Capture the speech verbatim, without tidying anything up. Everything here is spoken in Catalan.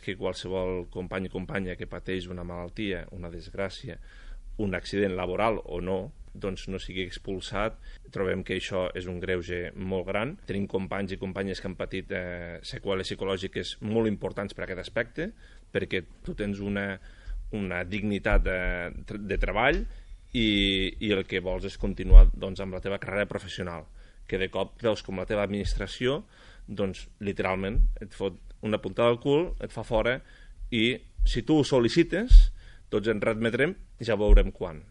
que qualsevol company i companya que pateix una malaltia, una desgràcia, un accident laboral o no, doncs no sigui expulsat. Trobem que això és un greuge molt gran. Tenim companys i companyes que han patit eh, seqüeles psicològiques molt importants per aquest aspecte, perquè tu tens una, una dignitat de, de treball i, i el que vols és continuar doncs, amb la teva carrera professional, que de cop veus com la teva administració doncs literalment et fot una puntada al cul, et fa fora, i si tu ho sol·licites tots ens readmetrem, ja veurem quan.